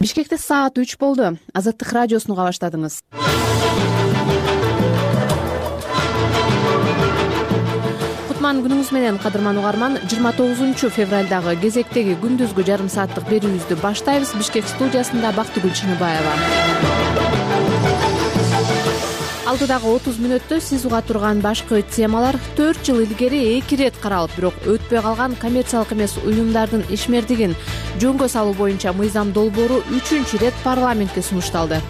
Бишкекте саат 3 болду. Азаттык радиосуну уга баштадыңыз. Кутман күнүңүз менен, кадырман угарман. 29 февралдагы кезектеги күндүзгү жарым сааттык берүүбүздү баштайбыз. Бишкек студиясында Бактыгүл Чыныбаева. Алдыдагы 30 мүнөттө сиз уга турган башкы темалар: 4 жыл илгери 2 рет каралып, бирок өтпөй калган коммерциялык эмес уюмдардын ишмердигин жөнгө салуу боюнча мыйзам долбоору 3-чү рет парламентке сунушталды.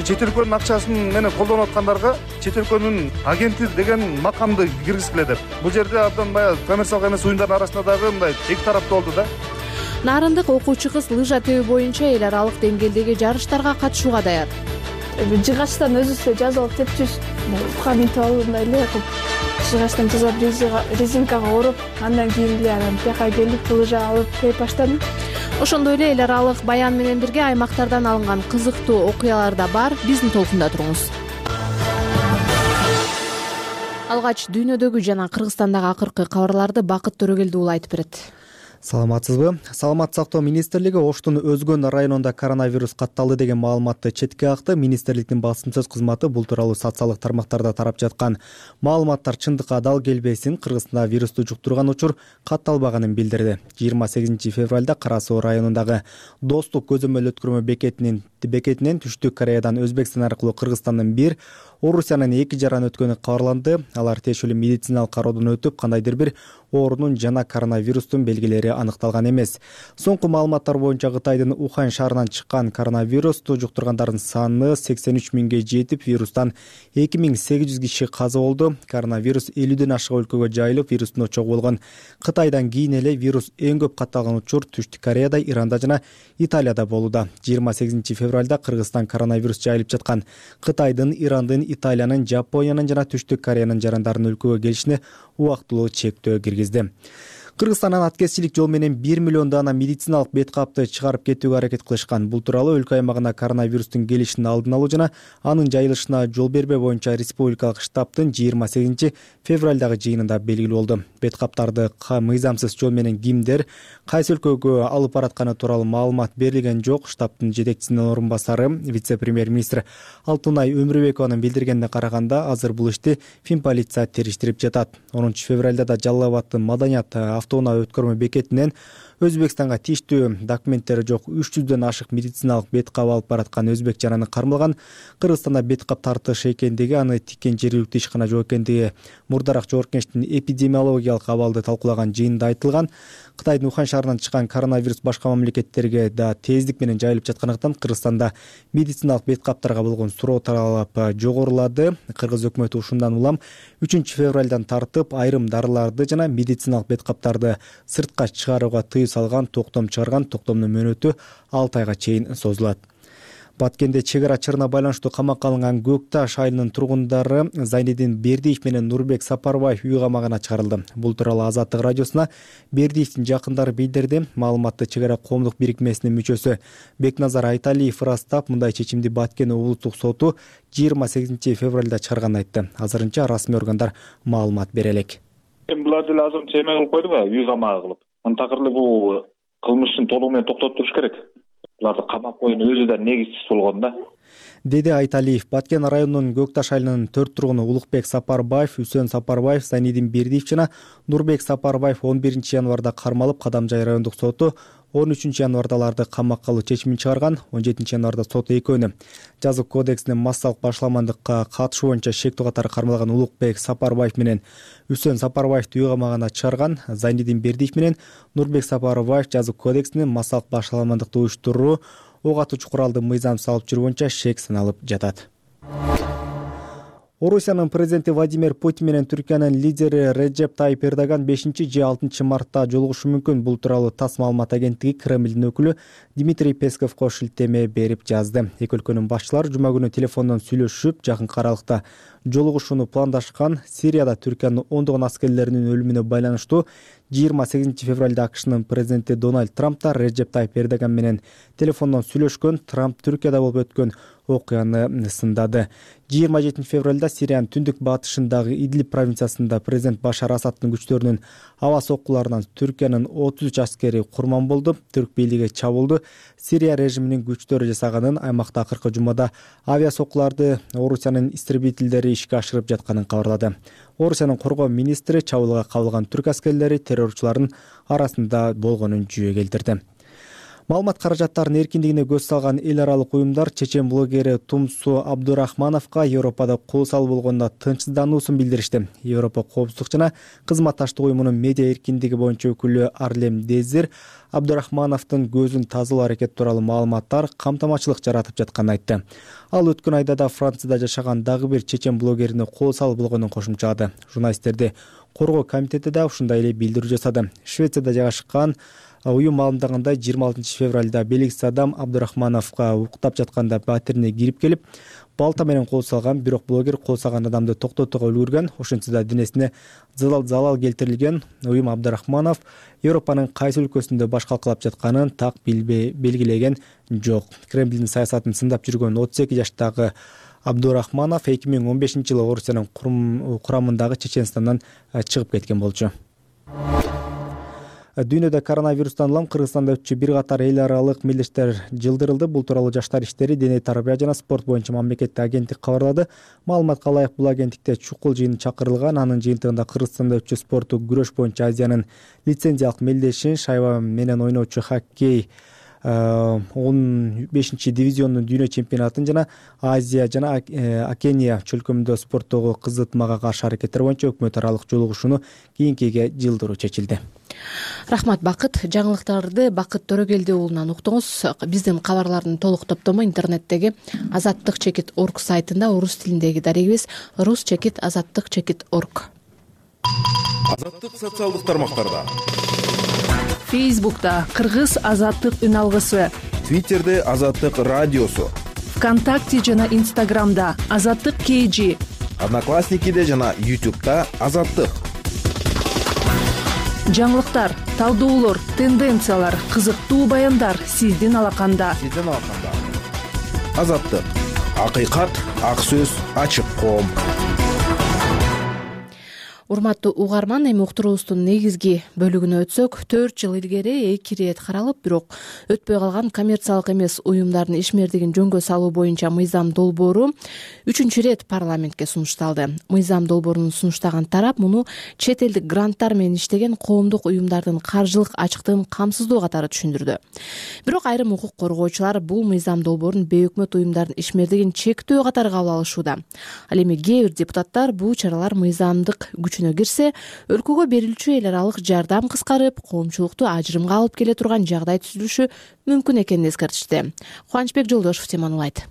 Чет өлкөнүн акчасын менен колдонуп аткандарга чет өлкөнүн агенти деген макамды киргизгиле деп. Бул жерде абдан баягы коммерциялык эмес уюмдардын арасында дагы мындай эки тараптуу болду да. Нарындык окуучу кыз лыжа тебүү боюнча эл аралык деңгээлдеги жарыштарга катышууга даяр. Жыгачтан өзүбүздө жазып алып тепчүбүз. Утка минтип алып мындай эле кылып жыгачтан жазап резинкага ороп, андан кийин эле анан бияка келип лыжа алып теп баштадым. Ошондой эле эл аралык баян менен бирге аймактардан алынган кызыктуу окуялар да бар. Биздин толкунда туруңуз. Алгач дүйнөдөгү жана Кыргызстандагы акыркы кабарларды Бакыт Төрөгелди уулу айтып берет. Саламатсызбы? Саламаттык сактоо министрлиги Оштун Өзгөн районунда коронавирус катталды деген маалыматты четке какты. Министрликтин басым сөз кызматы бул тууралуу социалдык тармактарда тарап жаткан маалыматтар чындыкка дал келбесин, Кыргызстанда вирусту жуктурган учур катталбаганын билдирди. 28 февралда Кара Суу районундагы Достук көзөмөл өткөрмө бекетинен Түштүк Кореядан Өзбекстан аркылуу Кыргызстандын 1, Орусиянын 2 жаран өткөнү кабарланды. Алар тиешелүү медициналык кароодон өтүп, кандайдыр бир оорунун жана коронавирустун белгилери аныкталган эмес. Соңку маалыматтар боюнча Кытайдын Ухан шаарынан чыккан коронавирусту жуктургандардын саны 83 миңге жетип, вирустан 2800 киши каза болду. Коронавирус 50ден ашык өлкөгө жайылып, вирустун очогу болгон Кытайдан кийин эле вирус эң көп катталган учур Түштүк Кореяда, Иранда жана Италияда болууда. 28 февралда Кыргызстан коронавирус жайылып жаткан Кытайдын, Ирандын, Италиянын, Жапониянын жана Түштүк Кореянын жарандарынын өлкөгө келишине убактылуу чектөө киргизди. Кыргызстандан аткезчилик жол менен 1 миллион дана медициналык бет капты чыгарып кетүүгө аракет кылышкан. Бул тууралуу өлкө аймагына коронавирустун келишин алдын алуу жана анын жайылышына жол бербөө боюнча республикалык штабтын 28 февралдагы жыйынында белгилүү болду. Бет каптарды мыйзамсыз жол менен кимдер кайсы өлкөгө алып баратканы тууралуу маалымат берилген жок. Штабтын жетекчисинин орун басары, вице-премьер-министр Алтынай Өмүрбекованын билдиргенине караганда, азыр бул ишти Финполиция териштирип жатат. 10 февралда да Жалал Абадтын Маданият автоунаа өткөрмө бекетинен Өзбекстанга тийиштүү документтери жок 300дөн ашык медициналык бет кап алып бараткан өзбек жараны кармалган. Кыргызстанда бет кап тартыш экендиги, аны тиккен жергиликтүү ишкана жок экендиги мурдараак Жогорку Кеңештин эпидемиологиялык абалды талкуулаган жыйынында айтылган. Кытайдын Ухан шаарынан чыккан коронавирус башка мамлекеттерге да тездик менен жайылып жаткандыктан Кыргызстанда медициналык бет каптарга болгон суроо талап жогорулады. Кыргыз өкмөтү ушундан улам 3 февралдан тартып айрым дарыларды жана медициналык бет каптарды сыртка чыгарууга тыюу салган, токтом чыгарган. Токтомдун мөөнөтү 6 айга чейин созулат. Баткенде чек ара чырына байланыштуу камакка алынган Көкташ айылынын тургундары Зайнидин Бердиев менен Нурбек Сапарбаев үй камагына чыгарылды. Бул тууралуу Азаттык радиосуна Бердиевдин жакындары билдирди. Маалыматты чек ара коомдук бирикмесинин мүчөсү Бекназар Айталиев ырастап, мындай чечимди Баткен облустук соту 28 февралда чыгарганын айтты. Азырынча расмий органдар маалымат бере элек. Булар деле азыр чейме кылып койду го, үй камагы кылып. Антакыр эле бул кылмыштын толугу менен токтотуп туруш керек. Буларды камап коюунун өзү да негизсиз болгон да, деди Айталиев. Баткен районунун Көкташ айылынын 4 тургуну Улукбек Сапарбаев, Үсөн Сапарбаев, Зайнидин Бердиев жана Нурбек Сапарбаев 11 январда кармалып, Кадамжай райондук соту 13 январда аларды камакка алуу чечимин чыгарган. 17 январда сот экөөнү жазык кодексинин массалык башаламандыкка катышуу боюнча шектүү катары кармалган Улукбек Сапарбаев менен Үсөн Сапарбаевди үй камагына чыгарган. Зайнидин Бердиев менен Нурбек Сапарбаев жазык кодексинин массалык башаламандыкты уюштуруу, ок атуучу куралды мыйзам салып жүрүү боюнча шек саналып жатат. Орусиянын президенти Владимир Путин менен Түркиянын лидери Реджеп Тайип Эрдоган 5 же 6 мартта жолугушу мүмкүн. Бул тууралуу ТАСС маалымат агенттиги Кремлдин өкүлү Дмитрий Песковго шилтеме берип жазды. Эки өлкөнүн башчылары жума күнү телефондон сүйлөшүп, жакынкы аралыкта жолугушууну пландашкан. Сирияда Түркиянын ондогон аскерлеринин өлүмүнө байланыштуу 28 февралда АКШнын президенти Дональд Трамп да Реджеп Тайип Эрдоган менен телефондон сүйлөшкөн. Трамп Түркияда болуп өткөн окуяны сындады. 27 февралда Сириянын түндүк батышындагы Идлиб провинциясында президент Башар Асадтын күчтөрүнүн аба соккуларынан Түркиянын 33 аскери курман болду. Түрк бийлиги чабуулду Сирия режиминин күчтөрү жасаганын, аймакта акыркы жумада авиа соккуларды Орусиянын истребительдери ишке ашырып жатканын кабарлады. Орусиянын коргоо министри чабуулга кабылган түрк аскерлери террорчулардын арасында болгонун жүйө келтирди. Маалымат каражаттарынын эркиндигине көз салган эл аралык уюмдар чечен блогери Тумсу Абдурахмановго Европада кол салуу болгонуна тынчсыздануусун билдиришти. Европа коопсуздук жана кызматташтык уюмунун медиа эркиндиги боюнча өкүлү Арлем Дезир Абдурахмановдун көзүн тазалоо аракети тууралуу маалыматтар камтамачылык жаратып жатканын айтты. Ал өткөн айда да Францияда жашаган дагы бир чечен блогерине кол салуу болгонун кошумчалады. Журналисттерди коргоо комитети да ушундай эле билдирүү жасады. Швецияда жайгашкан уюм маалымдагандай 26 февралда белгисиз адам Абдурахмановго уктап жатканда батирине кирип келип, балта менен кол салган, бирок блогер кол салган адамды токтотууга үлгүргөн. Ошентсе да денесине залал келтирилген. Уюм Абдурахманов Европанын кайсы өлкөсүндө баш калкалап жатканын так белгилеген жок. Кремлдин саясатын сындап жүргөн 32 жаштагы Абдурахманов 2015-жылы Орусиянын курамындагы Чеченстандан чыгып кеткен болчу. Дүйнөдө коронавирустан улам Кыргызстанда өтчү бир катар эл аралык мелдештер жылдырылды. Бул тууралуу Жаштар иштери, дене тарбия жана спорт боюнча мамлекеттик агенттик кабарлады. Маалыматка ылайык, бул агенттикте чукул жыйын чакырылган. Анын жыйынтыгында Кыргызстанда өтчү спорттук күрөш боюнча Азиянын лицензиялык мелдешин, шайба менен ойноочу хоккей 15-дивизиондун дүйнө чемпионатын жана Азия жана Океания чөлкөмүндө спорттогу кызытмага каршы аракеттер боюнча өкмөт аралык жолугушууну кийинкиге жылдыруу чечилди. Рахмат, Бакыт. Жаңылыктарды Бакыт Төрөгелди уулунан уктуңуз. Биздин кабарлардын толук топтому интернеттеги azattik.org сайтында, орус тилиндеги дарегибиз rus.azattik.org. Азаттык социалдык тармактарда. Фейсбукта Кыргыз азаттык үн алгысы, Твиттерде Азаттык радиосу, ВКонтакте жана Инстаграмда Азаттык KG, Одноклассникиде жана YouTube'да Азаттык. Жаңылыктар, талдоолор, тенденциялар, кызыктуу баяндар сиздин алаканда. Азаттык. Акыйкат, ак сөз, ачык коом. Урматтуу угарман, эми уктуруубуздун негизги бөлүгүнө өтсөк, 4 жыл илгери 2 ирет каралып, бирок өтпөй калган коммерциялык эмес уюмдардын ишмердигин жөнгө салуу боюнча мыйзам долбоору 3-чү ирет парламентке сунушталды. Мыйзам долбоорун сунуштаган тарап муну чет элдик гранттар менен иштеген коомдук уюмдардын каржылык ачыктыгын камсыздоо катары түшүндүрдү. Бирок айрым укук коргоочулар бул мыйзам долбоорун бейөкмөт уюмдардын ишмердигин чектөө катары кабыл алышууда. Ал эми кээ бир депутаттар бул чаралар мыйзамдык кирсе, өлкөгө берилчү эл аралык жардам кыскарып, коомчулукту ажырымга алып келе турган жагдай түзүлүшү мүмкүн экенин эскертишти. Кубанычбек Жолдошев теманы улайт.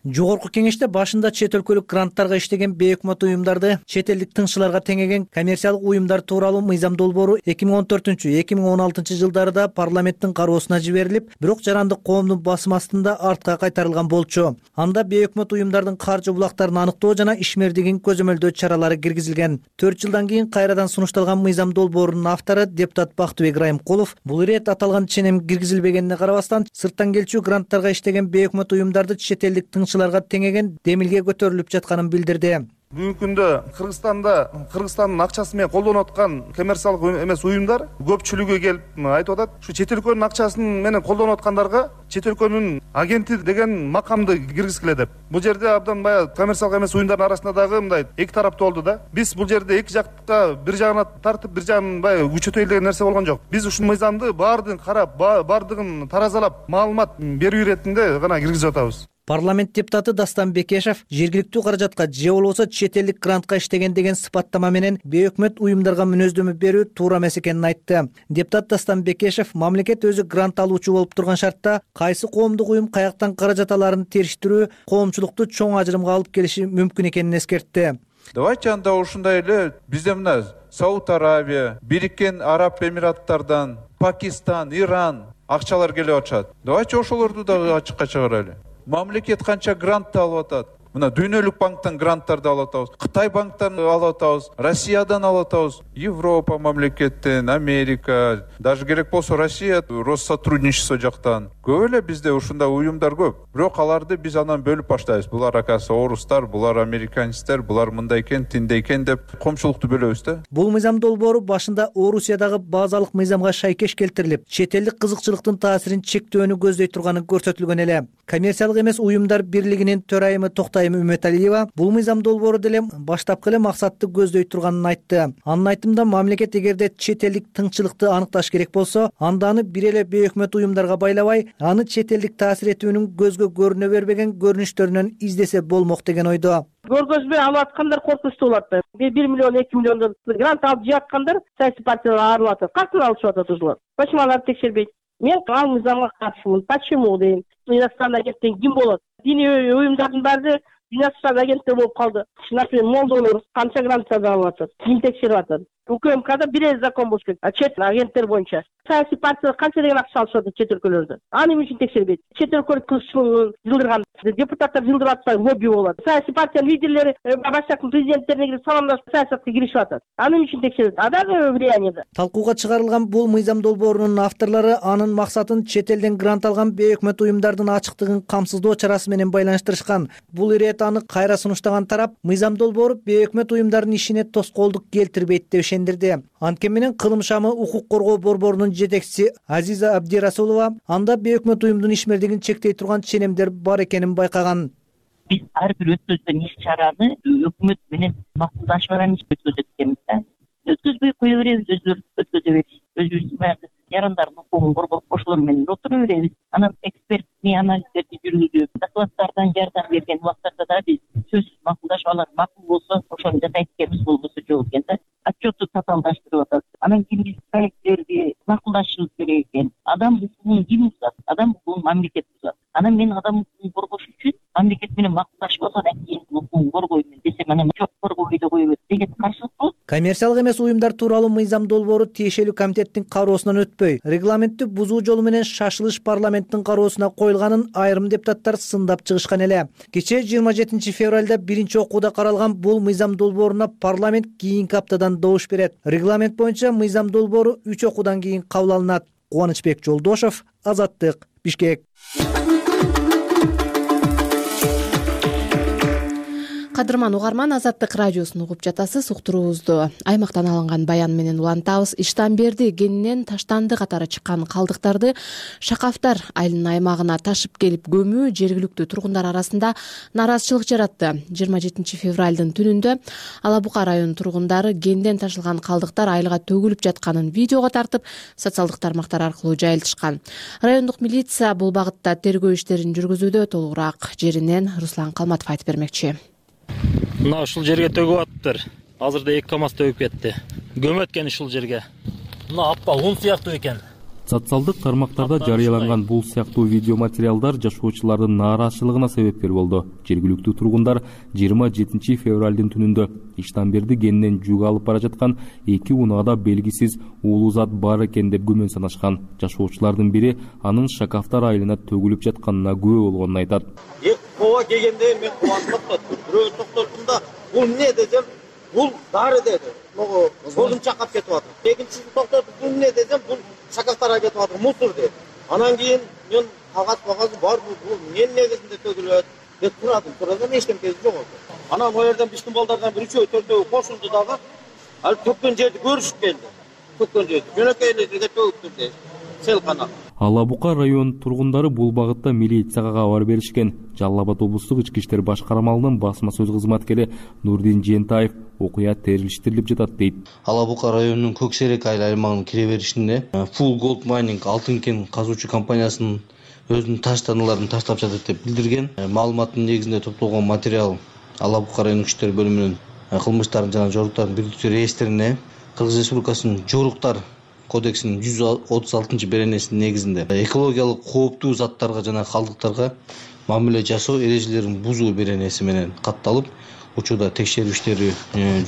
Жогорку кеңеште башында чет өлкөлүк гранттарга иштеген бейөкмөт уюмдарды чет элдик тыңчыларга теңеген коммерциялык уюмдар тууралуу мыйзам долбоору 2014-2016 жылдарда парламенттин кароосуна жиберилип, бирок жарандык коомдун басым астында артка кайтарылган болчу. Анда бейөкмөт уюмдардын каржы булактарын аныктоо жана ишмердигин көзөмөлдөө чаралары киргизилген. 4 жылдан кийин кайрадан сунушталган мыйзам долбоорунун автору депутат Бактыбек Райымкулов бул ирет аталган ченем киргизилбегенине карабастан сырттан келчү гранттарга иштеген бейөкмөт уюмдарды чет элдик тыңчыларга теңеген демилге көтөрүлүп жатканын билдирди. Бүгүнкү күндө Кыргызстандын акчасы менен колдонуп аткан коммерциялык эмес уюмдар көпчүлүгү келип айтып атат. Ушу чет өлкөнүн акчасын менен колдонуп аткандарга чет өлкөнүн агенти деген макамды киргизгиле деп. Бул жерде абдан баягы коммерциялык эмес уюмдардын арасында дагы мындай эки тараптуу болду да. Биз бул жерде эки жакка бир жагына тартып, бир жагын баягы күчөтөйлү деген нерсе болгон жок. Биз ушул мыйзамды баардыгын карап, баардыгын таразалап, маалымат берүү иретинде гана киргизип атабыз. Парламент депутаты Дастан Бекешев жергиликтүү каражатка же болбосо чет элдик грантка иштеген деген сыпаттама менен бейөкмөт уюмдарга мүнөздөмө берүү туура эмес экенин айтты. Депутат Дастан Бекешев мамлекет өзү грант алуучу болуп турган шартта кайсы коомдук уюм каяктан каражат аларын териштирүү коомчулукту чоң ажырымга алып келиши мүмкүн экенин эскертти. Давайте анда ушундай эле бизде мына Сауд Арабия, Бириккен Араб Эмираттардан, Пакистан, Иран акчалар келип атышат. Давайте ошолорду дагы ачыкка чыгарайлы. Мамлекет канча грант алып атат. Мына Дүйнөлүк банктан гранттарды алып атабыз, Кытай банктан алып атабыз, Россиядан алып атабыз, Европа мамлекеттен, Америка, даже керек болсо Россия Россотрудничество жактан Көп эле бизде ушундай уюмдар көп. Бирок аларды биз анан бөлүп баштайбыз. Булар акасы орустар, булар американецтер, булар мындай экен, тиндей экен деп коомчулукту бөлөбүз да. Бул мыйзам долбоору башында Орусиядагы базалык мыйзамга шайкеш келтирилип, чет элдик кызыкчылыктын таасирин чектөөнү көздөй турганы көрсөтүлгөн эле. Коммерциялык эмес уюмдар бирлигинин төрайымы Токтайым Үмөталиева бул мыйзам долбоору деле баштапкы эле максатты көздөй турганын айтты. Анын айтымында мамлекет эгерде чет элдик тыңчылыкты аныкташ керек болсо, анда аны бир эле бейөкмөт уюмдарга байлабай, аны чет элдик таасир этүүнүн көзгө көрүнө бербеген көрүнүштөрүнөн издесе болмок деген ойдо. Көргөзмө алып аткандар коркунучтуу болот. 1 миллион 2 миллиондон грант алып жааткандар саясий партияларга арылып атат. Кантип алышып атат ушулар? Почему аларды текшербейт? Мен ал мыйзамга каршымын. Почему дейм? Иностранный агенттен ким болот? Диний уюмдардын баары иностранный агенттер болуп калды. Например, молдолор канча гранттарды алып атат? Ким текшерип атат? УКМКда бир закон болуш керек. Чет агенттер боюнча саясий партиялар канча деген акча алышып атат чет өлкөлөрдө? Аны эмне үчүн текшербейт? Чет өлкөлүк кызыкчылыгын жылдырган депутаттар жылдырып атпайбы? Лобби болот. Саясий партиянын лидерлери башкачтын президенттерине кирип саламдашып саясатка киришип атат. Аны эмне үчүн текшерет? Адагы влияниеде. Талкууга чыгарылган бул мыйзам долбоорунун авторлору анын максатын чет элден грант алган бейөкмөт уюмдардын ачыктыгын камсыздоо чарасы менен байланыштырышкан. Бул ирет аны кайра сунуштаган тарап мыйзам долбоору бейөкмөт уюмдардын ишине тоскоолдук келтирбейт деп ишендирди. Анткени менен кылым шамы укук коргоо борборунун жетекчиси Азиза Абдирасулова анда бейөкмөт уюмдун ишмердигин чектей турган ченемдер бар экенин байкаган. Биз ар бир өткөзгөн иш-чараны өкмөт менен макулдашып алган өткөзөт экенбиз да. Өткөзбөй кое беребиз, өткөзө беребиз. Өзүбүздүн баягы жарандардын укугун коргоп ошолор менен отура беребиз. Анан эксперттик анализдерди жүргүзүп, докладдардан жардам берген убактарда да биз сөзсүз макулдашып алат. Макул болсо ошону жасайт экенбиз, болбосо жок экен да. Отчетту татаалдаштырып атат. Анан кийин биз проекттерди макулдашыбыз керек экен. Адам укугун ким бузат? Адам укугун мамлекет бузат. Анан мен адам укугун коргош үчүн мамлекет менен макулдашып алсам кийин укугун коргоймун десем, анан жок коргобой да коебуз деген каршылык болот. Коммерциялык эмес уюмдар тууралуу мыйзам долбоору тиешелүү комитеттин кароосунан өтпөй, регламентти бузуу жолу менен шашылыш парламенттин кароосуна коюлганын айрым депутаттар сындап чыгышкан эле. Кечээ 27 февралда биринчи окууда каралган бул мыйзам долбооруна парламент кийинки аптадан добуш берет. Регламент боюнча мыйзам долбоору 3 окуудан кийин кабыл алынат. Кубанычбек Жолдошов, Азаттык, Бишкек. Кадырман угарман, Азаттык радиосун угуп жатасыз. Уктуруубузду аймактан алынган баян менен улантабыз. Иштанберди кенинен таштанды катары чыккан калдыктарды Шакафтар айылынын аймагына ташып келип көмүү жергиликтүү тургундар арасында нааразычылык жаратты. 27 февралдын түнүндө Ала Бука районунун тургундары кенден ташылган калдыктар айылга төгүлүп жатканын видеого тартып, социалдык тармактар аркылуу жайылтышкан. Райондук милиция бул багытта тергөө иштерин жүргүзүүдө. Толугураак жеринен Руслан Калматов айтып бермекчи. Мына ушул жерге төгүп атыптыр. Азырда 2 КАМАЗ төгүп кетти. Көмөт экен ушул жерге. Мына аппа ун сыяктуу экен. Социалдык тармактарда жарыяланган бул сыяктуу видео материалдар жашоочулардын нааразычылыгына себепкер болду. Жергиликтүү тургундар 27 февралдын түнүндө Иштанберди кенинен жүк алып бара жаткан 2 унаада белгисиз уулуу зат бар экен деп күмөн санашкан. Жашоочулардын бири анын Шакафтар айылына төгүлүп жатканына күбө болгонун айтат. Ооба келгенде мен кубанып токтоттум. Бирөө токтоттум да, бул эмне десем, бул дары деди. Могу колун чакап кетип атат. Экинчисин токтотуп, бул эмне десем, бул Шакафтарга кетип атат, мусор деди. Анан кийин мен кагаз бар, бул эмне негизинде төгүлөт деп турадым. Турадан эчтемкеси жок болду. Анан о жерден биздин балдардан бир 3-4 кошулду дагы. Ал төккөн жерди көрүшүп келди. Төккөн жерди. Жөнөкөй эле жерге төгүптүр деди. Селкана. Ала Бука районунун тургундары бул багытта милицияга кабар беришкен. Жалал Абад облустук ички иштер башкармалыгынын басма сөз кызматкери Нурдин Жентаев окуя терилиштирилип жатат дейт. Ала Бука районунун Көксерек айыл аймагынын кире беришинде Full Gold Mining алтын кен казуучу компаниясынын өзүнүн таштаналарын таштап жатат деп билдирген. Маалыматтын негизинде топтолгон материал Ала Бука районунун иштер бөлүмүнүн кылмыштардын жана жоруктардын бирдиктүү реестрине Кыргыз Республикасынын жоруктар кодексинин 136 беренесинин негизинде экологиялык кооптуу заттарга жана калдыктарга мамиле жасоо эрежелерин бузуу беренеси менен катталып, учурда текшерүү иштери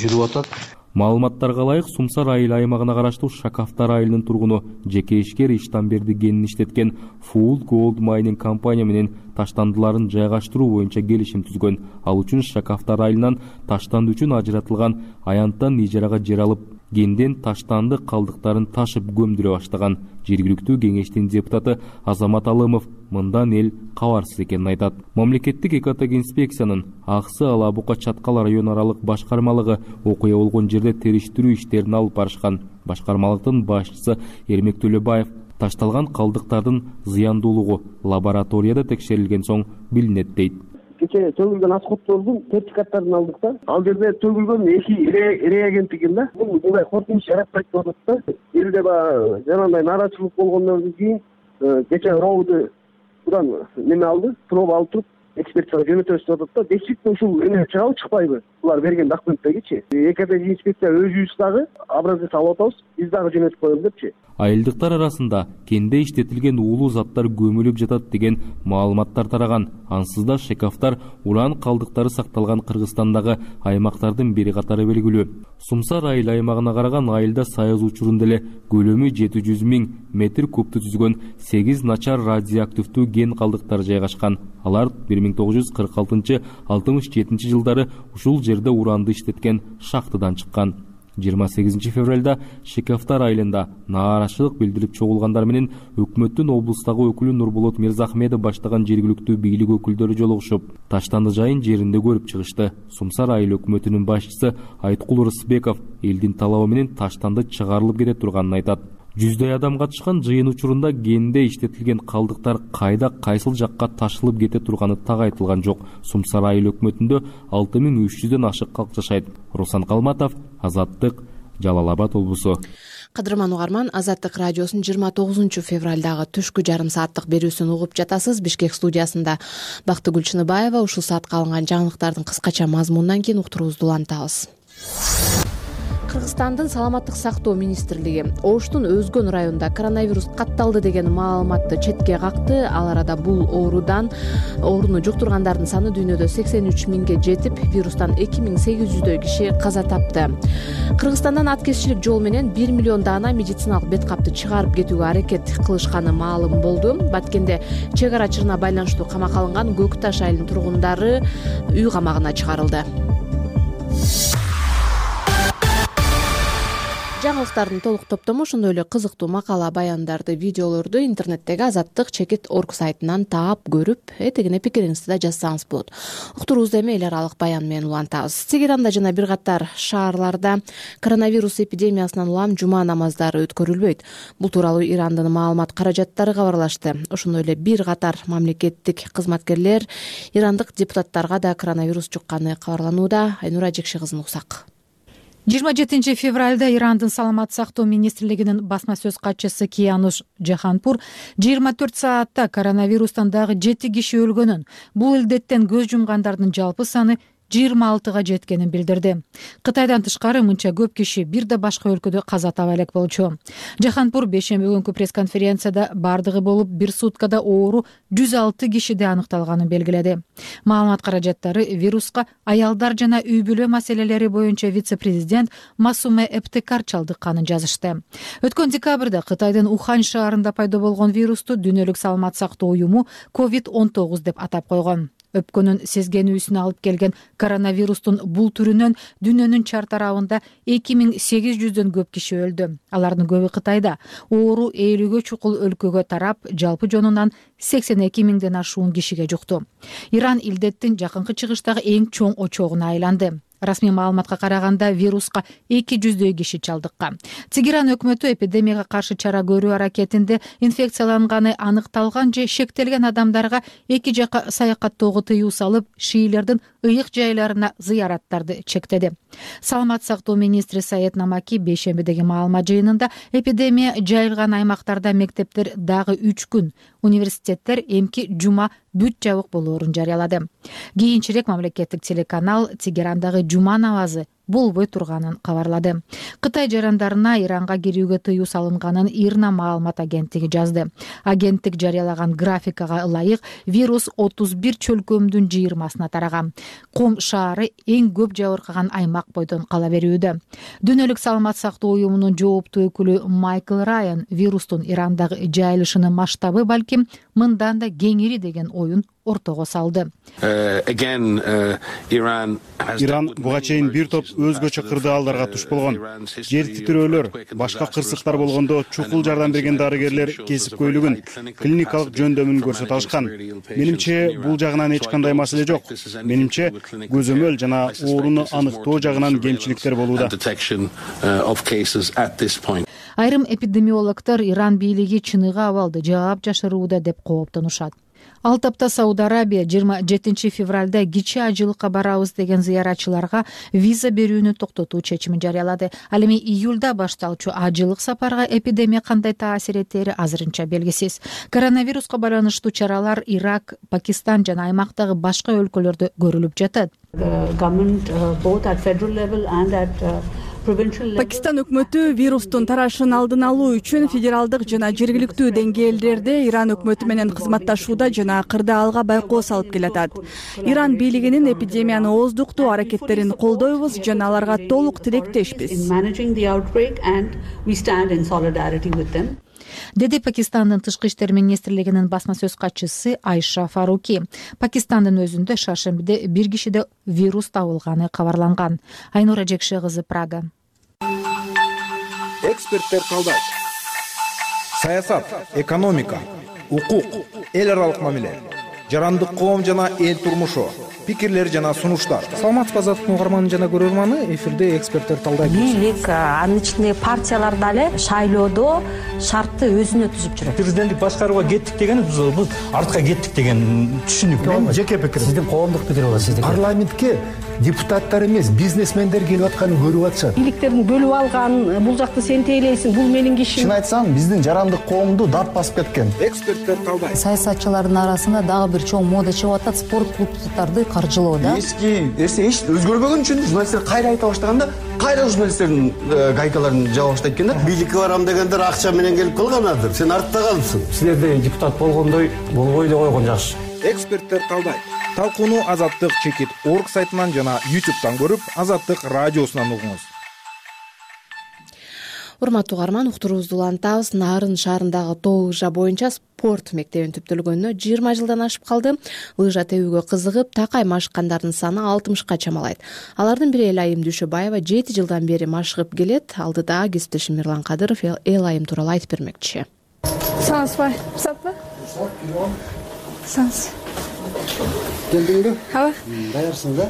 жүрүп атат. Маалыматтарга ылайык Сумсар айыл аймагына караштуу Шакафтар айылынын тургуну жеке ишкер Иштанберди кенин иштеткен Full Gold Mining компания менен таштандыларын жайгаштыруу боюнча келишим түзгөн. Ал үчүн Шакафтар айылынан таштанды үчүн ажыратылган аянттан ижарага жер алып кенден таштандык калдыктарын ташып көмдүрө баштаган. Жергиликтүү кеңештин депутаты Азамат Алымов мындан эл кабарсыз экенин айтат. Мамлекеттик экотек-инспекциянын Аксы Ала Бука Чаткал район аралык башкармалыгы окуя болгон жерде териштирүү иштерин алып барышкан. Башкармалыктын башчысы Эрмек Төлөбаев ташталган калдыктардын зыяндуулугу лабораторияда текшерилген соң билинет дейт. Кече төгүлгөн асходдордун сертификаттарын алдык да. Ал жерде төгүлгөн 2 реагент экен да. Бул мындай коркунуч жаратпайт деп атат да. Элде баягы жанагындай нааразычылык болгондон кийин кече робуду будан неме алды, проба алып туруп экспертизага жөнөтөбүз деп атат да. Действительно ушул эме чыгабы чыкпайбы? Булар берген документтегичи. Экотек инспекция өзүбүз дагы образец алып атабыз, биз дагы жөнөтүп коебуз депчи. Айылдыктар арасында кенде иштетилген уулуу заттар көмүлүп жатат деген маалыматтар тараган. Ансыз да шекафтар уран калдыктары сакталган Кыргызстандагы аймактардын бири катары белгилүү. Сумсар айыл аймагына караган айылда Саяз учурунда эле көлөмү 700 000 метр кубту түзгөн 8 начар радиоактивдүү кен калдыктары жайгашкан. Алар 1966-67 жылдары ушул жерде уранды иштеткен шахтадан чыккан. 28 февралда Шекафтар айылында нааразычылык билдирип чогулгандар менен өкмөттүн облустагы өкүлү Нурболот Мирзахмедов баштаган жергиликтүү бийлик өкүлдөрү жолугушуп, таштанды жайын жеринде көрүп чыгышты. Сумсар айыл өкмөтүнүн башчысы Айткул Рысбеков элдин талабы менен таштанды чыгарылып кете турганын айтат. 100дай адам катышкан жыйын учурунда кенде иштетилген калдыктар кайда кайсыл жакка ташылып кете турганы так айтылган жок. Сумсар айыл өкмөтүндө 6300дөн ашык калк жашайт. Руслан Калматов, Азаттык, Жалал Абад облусу. Кадырман угарман, Азаттык радиосунун 29 февралдагы түшкү жарым сааттык берүүсүн угуп жатасыз. Бишкек студиясында Бактыгүл Чыныбаева. Ушул саатка алынган жаңылыктардын кыскача мазмунунан кийин уктуруубузду улантабыз. Кыргызстандын саламаттык сактоо министрлиги Оштун Өзгөн районунда коронавирус катталды деген маалыматты четке какты. Ал арада бул ооруну жуктургандардын саны дүйнөдө 83 000ге жетип, вирустан 2800дөй киши каза тапты. Кыргызстандан аткезчилик жол менен 1 миллион даана медициналык бет капты чыгарып кетүүгө аракет кылышканы маалым болду. Баткенде чек ара чырына байланыштуу камакка алынган Көк Таш айылынын тургундары үй камагына чыгарылды. Жаңылыктардын толук топтому, ошондой эле кызыктуу макала, баяндарды, видеолорду интернеттеги azattik.org сайтынан таап көрүп, этегине пикириңизди да жазсаңыз болот. Уктуруубузду эми эл аралык баян менен улантабыз. Тегеранда жана бир катар шаарларда коронавирус эпидемиясынан улам жума намаздары өткөрүлбөйт. Бул тууралуу Ирандын маалымат каражаттары кабарлашты. Ошондой эле бир катар мамлекеттик кызматкерлер ирандык депутаттарга да коронавирус жукканы кабарланууда. Айнура Жекши кызын уксак. 27 февралда Ирандын саламат сактоо министрлигинин басма сөз катчысы Киянуш Жаханпур 24 саатта коронавирустан дагы 7 киши өлгөнүн, бул илдеттен көз жумгандардын жалпы саны 26га жеткенин билдирди. Кытайдан тышкары мынча көп киши бир да башка өлкөдө каза таап элек болчу. Жаханпур бейшемби күнкү пресс-конференцияда бардыгы болуп бир суткада оору 106 кишиде аныкталганын белгиледи. Маалымат каражаттары вируска аялдар жана үй бүлө маселелери боюнча вице-президент Масуме Эптекар чалдыкканын жазышты. Өткөн декабрда Кытайдын Ухань шаарында пайда болгон вирусту Дүйнөлүк саламат сактоо уюму COVID-19 деп атап койгон. Өпкөнүн сезгенүүсүнө алып келген коронавирустун бул түрүнөн дүйнөнүн чар тарабында 2800дөн көп киши өлдү. Алардын көбү Кытайда. Оору 50гө чукул өлкөгө тарап, жалпы жонунан 82 000ден ашуун кишиге жукту. Иран илдеттин жакынкы чыгыштагы эң чоң очогуна айланды. Расмий маалыматка караганда вируска 200дөй киши чалдыккан. Тегеран өкмөтү эпидемияга каршы чара көрүү аракетинде инфекцияланганы аныкталган же шектелген адамдарга эки жака саякаттоого тыюу салып, шиилердин ыйык жайларына зыяраттарды чектеди. Саламат сактоо министри Саед Намаки бейшембидеги маалымат жыйынында эпидемия жайылган аймактарда мектептер дагы 3 күн, университеттер эмки жума бүт жабык болоорун жарыялады. Кийинчерээк мамлекеттик телеканал Тегерандагы жума намазы болбой турганын кабарлады. Кытай жарандарына Иранга кирүүгө тыюу салынганын Ирна маалымат агенттиги жазды. Агенттик жарыялаган графикага ылайык вирус 31 чөлкөмдүн 20-сына тараган. Кум шаары эң көп жабыркаган аймак бойдон кала берүүдө. Дүйнөлүк саламат сактоо уюмунун жооптуу өкүлү Майкл Райан вирустун Ирандагы жайылышынын масштабы балким мындан да кеңири деген оюн ортого салды. Иран буга чейин бир топ өзгөчө кырдаалдарга туш болгон. Жер титирөөлөр, башка кырсыктар болгондо чукул жардам берген дарыгерлер кесипкөйлүгүн, клиникалык жөндөмүн көрсөтө алышкан. Менимче бул жагынан эч кандай маселе жок. Менимче көзөмөл жана ооруну аныктоо жагынан кемчиликтер болууда. Айрым эпидемиологдор Иран бийлиги чыныгы абалды жаап жашырууда деп кооптонушат. Ал тапта Сауд Арабия 27 февралда кичи ажылыкка барабыз деген зыяратчыларга виза берүүнү токтотуу чечимин жарыялады. Ал эми июлда башталчу ажылык сапарга эпидемия кандай таасир этери азырынча белгисиз. Коронавируска байланыштуу чаралар Ирак, Пакистан жана аймактагы башка өлкөлөрдө көрүлүп жатат. Пакистан өкмөтү вирустун тарашын алдын алуу үчүн федералдык жана жергиликтүү деңгээлдерде Иран өкмөтү менен кызматташууда жана кырдаалга байкоо салып келатат. Иран бийлигинин эпидемияны ооздуктоо аракеттерин колдойбуз жана аларга толук тилектешпиз, деди Пакистандын тышкы иштер министрлигинин басма сөз катчысы Айша Фаруки. Пакистандын өзүндө шаршембиде бир кишиде вирус табылганы кабарланган. Айнура Жекше кызы, Прага. Эксперттер талдайт. Саясат, экономика, укук, эл аралык мамиле, жарандык коом жана эл турмушу, пикирлер жана сунуштар. Саламатсызбы Азаттык угарманы жана көрөрманы, эфирде эксперттер талдайт. Бийлик анын ичинде партиялар дагы шайлоодо шартты өзүнө түзүп жүрөт. Президенттик башкарууга кеттик деген биз артка кеттик деген түшүнүк. Мен жеке пикирим. Сиздин коомдук пикир болот сиздики. Парламентке депутаттар эмес, бизнесмендер келип атканын көрүп атышат. Бийликтердин бөлүп алган, бул жакты сен тейлейсиң, бул менин кишим. Чын айтсам, биздин жарандык коомду дарт басып кеткен. Эксперттер талдайт. Саясатчылардын арасында дагы бир чоң мода чыгып атат, спорт клубдарды каржылоо да. Эски эч өзгөрбөгөн үчүн журналисттер кайра айта баштаганда, кайра журналисттердин гайкаларын жаба баштайт экен да. Бийликке барам дегендер акча менен келип калганадыр. Сен артта калыпсың. Силерде депутат болгондой болбой эле койгон жакшы. Эксперттер талдайт. Талкууну Азаттык чекит орг сайтынан жана YouTube'дан көрүп, Азаттык радиосунан угуңуз. Урматтуу угарман, уктуруубузду улантабыз. Нарын шаарындагы тоо лыжа боюнча спорт мектебин түптөлгөнүнө 20 жылдан ашып калды. Лыжа тебүүгө кызыгып, такай машыккандардын саны 60ка чамалайт. Алардын бири Элайым Дүйшөбаева 7 жылдан бери машыгып келет. Алдыда кесиптешим Мирлан Кадыров Элайым тууралуу айтып бермекчи. Саңызбай, саппы? Саңыз. Келдиңби? Ооба. Даярсың да?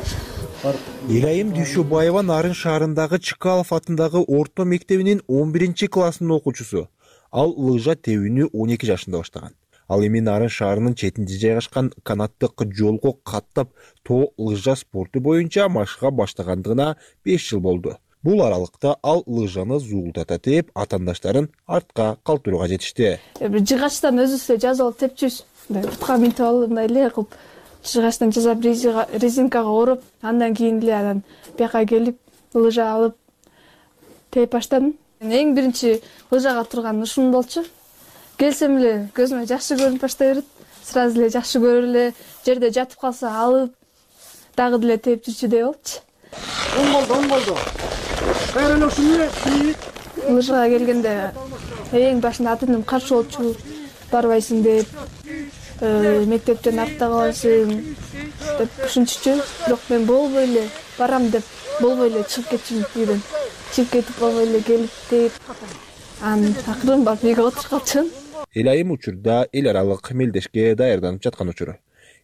Элайым Дүйшөбаева Нарын шаарындагы Чыкалов атындагы орто мектебинин 11-классынын окуучусу. Ал лыжа тебүүнү 12 жашында баштаган. Ал эми Нарын шаарынын четинде жайгашкан канаттык жолго каттап тоо лыжа спорту боюнча машыга баштагандыгына 5 жыл болду. Бул аралыкта ал лыжаны зуулдата тээп, атаандаштарын артка калтырууга жетишти. Жыгачтан өзүбүз жазып алып тепчүбүз. Бутка минтип алып, мындай эле кылып жыгачтан жасап резинкага ороп, андан кийин эле анан бияка келип лыжа алып тээп баштадым. Эң биринчи лыжага турган ушун болчу. Келсем эле көзүмө жакшы көрүнүп баштай берет. Сразу эле жакшы көрүп эле жерде жатып калса алып дагы деле тээп жүрчүдөй болчу. Оң болду. Кайран ушуну лыжага келгенде эң башында ата-энем каршы болчу. Барбайсың деп, мектептен артта каласың деп ушинчүчү. Бирок мен болбой эле барам деп, болбой эле чыгып кетчүмүн үйдөн. Чыгып кетип болбой эле келип деп, анан акырын барып үйгө отуруп калчумун. Элайым учурда эл аралык мелдешке даярданып жаткан учуру.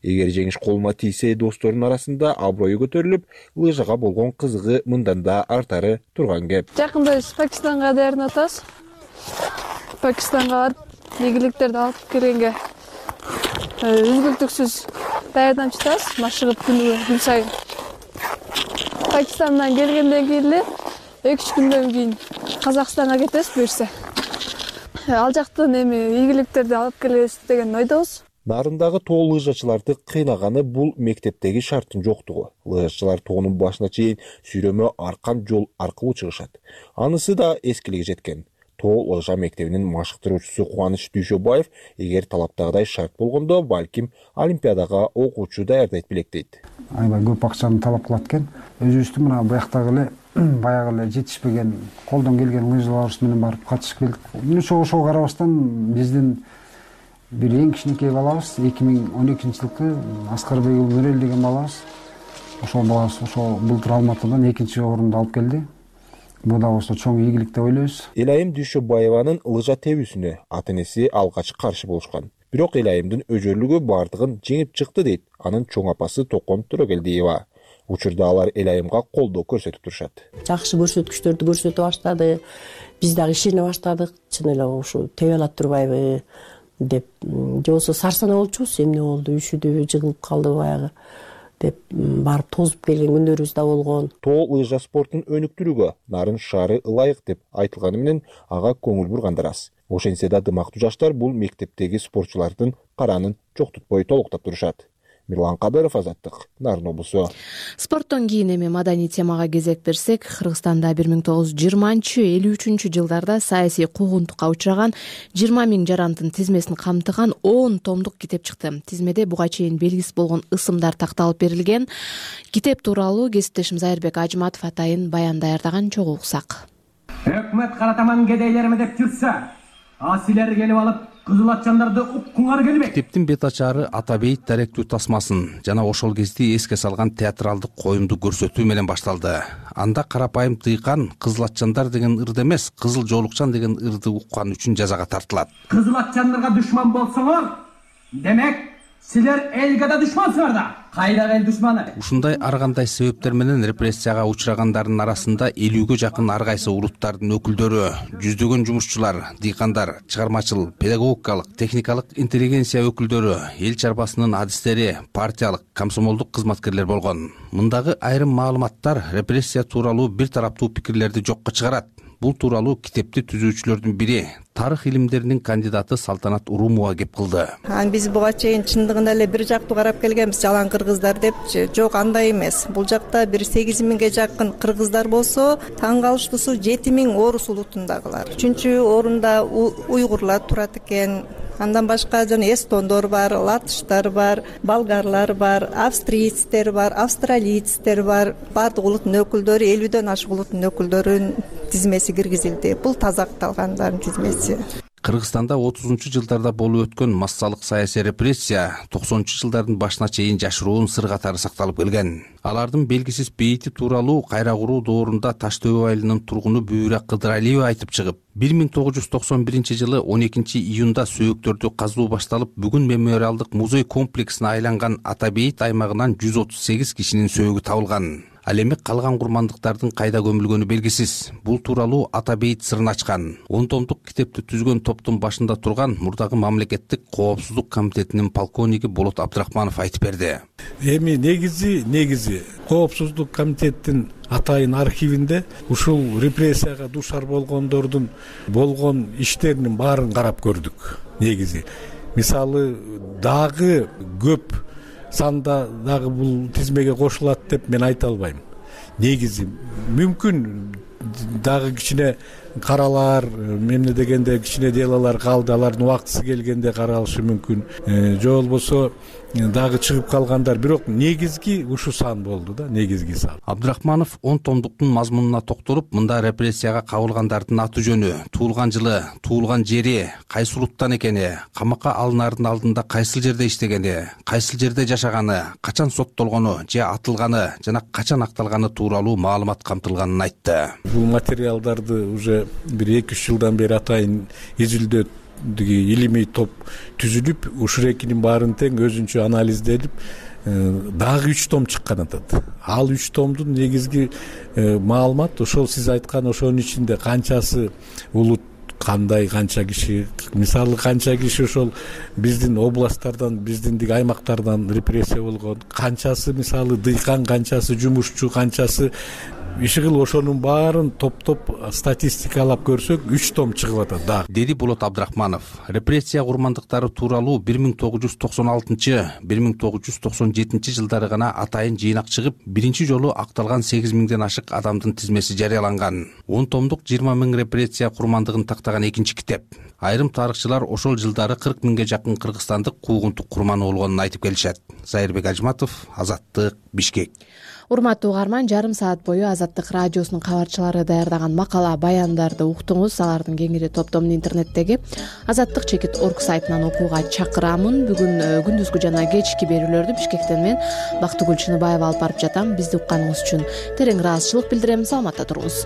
Эгер жеңиш колума тийсе, досторунун арасында аброю көтөрүлүп, лыжага болгон кызыгы мындан да артары турган кеп. Жакында биз Пакистанга даярданып атабыз. Пакистанга барып, ийгиликтерди алып келгенге үзгүлтүксүз даярданып жатабыз, машыгып күн сайын. Пакистандан келгенден кийин эле 2-3 күндөн кийин Казакстанга кетебиз буюрса. Ал жактан эми ийгиликтерди алып келебиз деген ойдобуз. Нарындагы тоо лыжачыларды кыйнаганы бул мектептеги шарттын жоктугу. Лыжачылар тоонун башына чейин сүйрөмө аркан жол аркылуу чыгышат. Анысы да эскилиге жеткен. Тоо лыжа мектебинин машыктыруучусу Кубаныч Дүйшөбаев эгер талаптагыдай шарт болгондо, балким олимпиадага окуучу даярдайт белек дейт. Аябай көп акчаны талап кылат экен. Өзүбүздү мына буяктагы эле баягы эле жетишпеген, колдон келген лыжаларыбыз менен барып катышып келдик. Ошого карабастан биздин бир эң кичинекей балабыз 2012-жылкы Аскарбек Нурел деген балабыз. Ошол балабыз ошол былтыр Алматыдан 2-орунду алып келди. Бул да болсо чоң ийгилик деп ойлойбуз. Элайым Дүйшөбаеванын лыжа тебүүсүнө ата-энеси алгач каршы болушкан. Бирок Элайымдын өжөрлүгү бардыгын жеңип чыкты дейт анын чоң апасы Токон Төрөгелдиева. Учурда алар Элайымга колдоо көрсөтүп турушат. Жакшы көрсөткүчтөрдү көрсөтө баштады. Биз дагы ишене баштадык. Чын эле ушу тебе алат турбайбы деп. Же болсо сарсана болчубуз, эмне болду, үшүдүбү, жыгылып калды баягы деп барып тозуп келген күндөрүбүз да болгон. Тоо лыжа спортун өнүктүрүүгө Нарын шаары ылайык деп айтылганы менен ага көңүл бургандар аз. Ошентсе да дымактуу жаштар бул мектептеги спортчулардын каранын чоктутпой толуктап турушат. Мирлан Кадыров, Азаттык, Нарын облусу. Спорттон кийин эми маданий темага кезек берсек, Кыргызстанда 1920-53 жылдарда саясий куугунтукка учураган 20 000 жарандын тизмесин камтыган 10 томдук китеп чыкты. Тизмеде буга чейин белгисиз болгон ысымдар такталып берилген. Китеп тууралуу кесиптешим Зайырбек Ажматов атайын баян даярдаган, чогуу уксак. Өкмөт каратаман кедейлерими деп жүрсө, силер келип алып кызыл атчандарды уккуңар келбейт. Китептин бет ачары Ата бейит даректүү тасмасын жана ошол кезде эске салган театралдык коюмду көрсөтүү менен башталды. Анда карапайым дыйкан кызыл атчандар деген ырды эмес, кызыл жоолукчан деген ырды уккан үчүн жазага тартылат. Кызыл атчандарга душман болсоңор, демек силер элге да душмансыңар да. Кайдагы эл душманы? Ушундай ар кандай себептер менен репрессияга учурагандардын арасында 50ге жакын ар кайсы улуттардын өкүлдөрү, жүздөгөн жумушчулар, дыйкандар, чыгармачыл, педагогикалык, техникалык интеллигенция өкүлдөрү, эл чарбасынын адистери, партиялык, комсомолдук кызматкерлер болгон. Мындагы айрым маалыматтар репрессия тууралуу бир тараптуу пикирлерди жокко чыгарат. Бул тууралуу китепти түзүүчүлөрдүн бири, тарых илимдеринин кандидаты Салтанат Урумова кеп кылды. Биз буга чейин чындыгында эле бир жактуу карап келгенбиз, жалаң кыргыздар депчи. Жок, андай эмес. Бул жакта бир 8 000ге жакын кыргыздар болсо, таң калыштуусу 7 000 орус улутундагылар. 3-орунда уйгурлар турат экен. Андан башка жана эстондор бар, латыштар бар, болгарлар бар, австрийцтер бар, австралийцтер бар. Бардык улуттун өкүлдөрү, 50дөн ашык улуттун өкүлдөрүнүн тизмеси киргизилди. Бул таза акталгандардын тизмеси. Кыргызстанда 30-жылдарда болуп өткөн массалык саясий репрессия 90-жылдардын башына чейин жашыруун сыр катары сакталып келген. Алардын белгисиз бейити тууралуу кайра куруу доорунда Таш Төбө айылынын тургуну Бүйрө Кыдыралиева айтып чыгып, 1991-жылы 12-июнда сөөктөрдү казуу башталып, бүгүн мемориалдык музей комплексине айланган Ата бейит аймагынан 138 кишинин сөөгү табылган. Ал эми калган курмандыктардын кайда көмүлгөнү белгисиз. Бул тууралуу Ата бейит сырын ачкан. 10 томдук китепти түзгөн топтун башында турган мурдагы мамлекеттик коопсуздук комитетинин полковниги Болот Абдрахманов айтып берди. Эми негизи коопсуздук комитеттин атайын архивинде ушул репрессияга душар болгондордун болгон иштеринин баарын карап көрдүк. Негизи мисалы дагы көп санда дагы бул тизмеге кошулат деп мен айта албайм. Негизи мүмкүн дагы кичине каралар, эмне дегенде кичине делалар калды, алардын убактысы келгенде каралышы мүмкүн. Же болбосо дагы чыгып калгандар, бирок негизги ушу сан болду да, негизги сан. Абдрахманов 10 томдуктун мазмунуна токтолуп, мында репрессияга кабылгандардын аты жөнү, туулган жылы, туулган жери, кайсы улуттан экени, камакка алынаардын алдында кайсыл жерде иштегени, кайсыл жерде жашаганы, качан соттолгону же атылганы жана качан акталганы тууралуу маалымат камтылганын айтты. Бул материалдарды уже бир 2-3 жылдан бери атайын изилдөө илимий топ түзүлүп, ушул экинин баарын тең өзүнчө анализделип, дагы 3 том чыккан атат. Ал 3 томдун негизги маалымат ошол сиз айткан ошонун ичинде канчасы улут, кандай, канча киши, мисалы канча киши ошол биздин областтардан, биздин аймактардан репрессия болгон, канчасы мисалы дыйкан, канчасы жумушчу, канчасы ишигил, ошонун баарын топтоп статистикалап көрсөк 3 том чыгып атат да. Деди Болот Абдрахманов. Репрессия курмандыктары тууралуу 1996-1997 жылдары гана атайын жыйнак чыгып, биринчи жолу акталган 8 000ден ашык адамдын тизмеси жарыяланган. 10 томдук 20 000 репрессия курмандыгын тактаган баштаган экинчи китеп. Айрым тарыхчылар ошол жылдары 40 миңге жакын кыргызстандык куугунтук курманы болгонун айтып келишет. Зайырбек Ажматов, Азаттык, Бишкек. Урматтуу угарман, жарым саат бою Азаттык радиосунун кабарчылары даярдаган макала, баяндарды уктуңуз. Алардын кеңири топтомун интернеттеги azаттык.org сайтынан окууга чакырамын. Бүгүн күндүзгү жана кечки берүүлөрдү Бишкектен мен Бактыгүл Чыныбаева алып барып жатам. Бизди укканыңыз үчүн терең ыраазычылык билдирем. Саламатта туруңуз.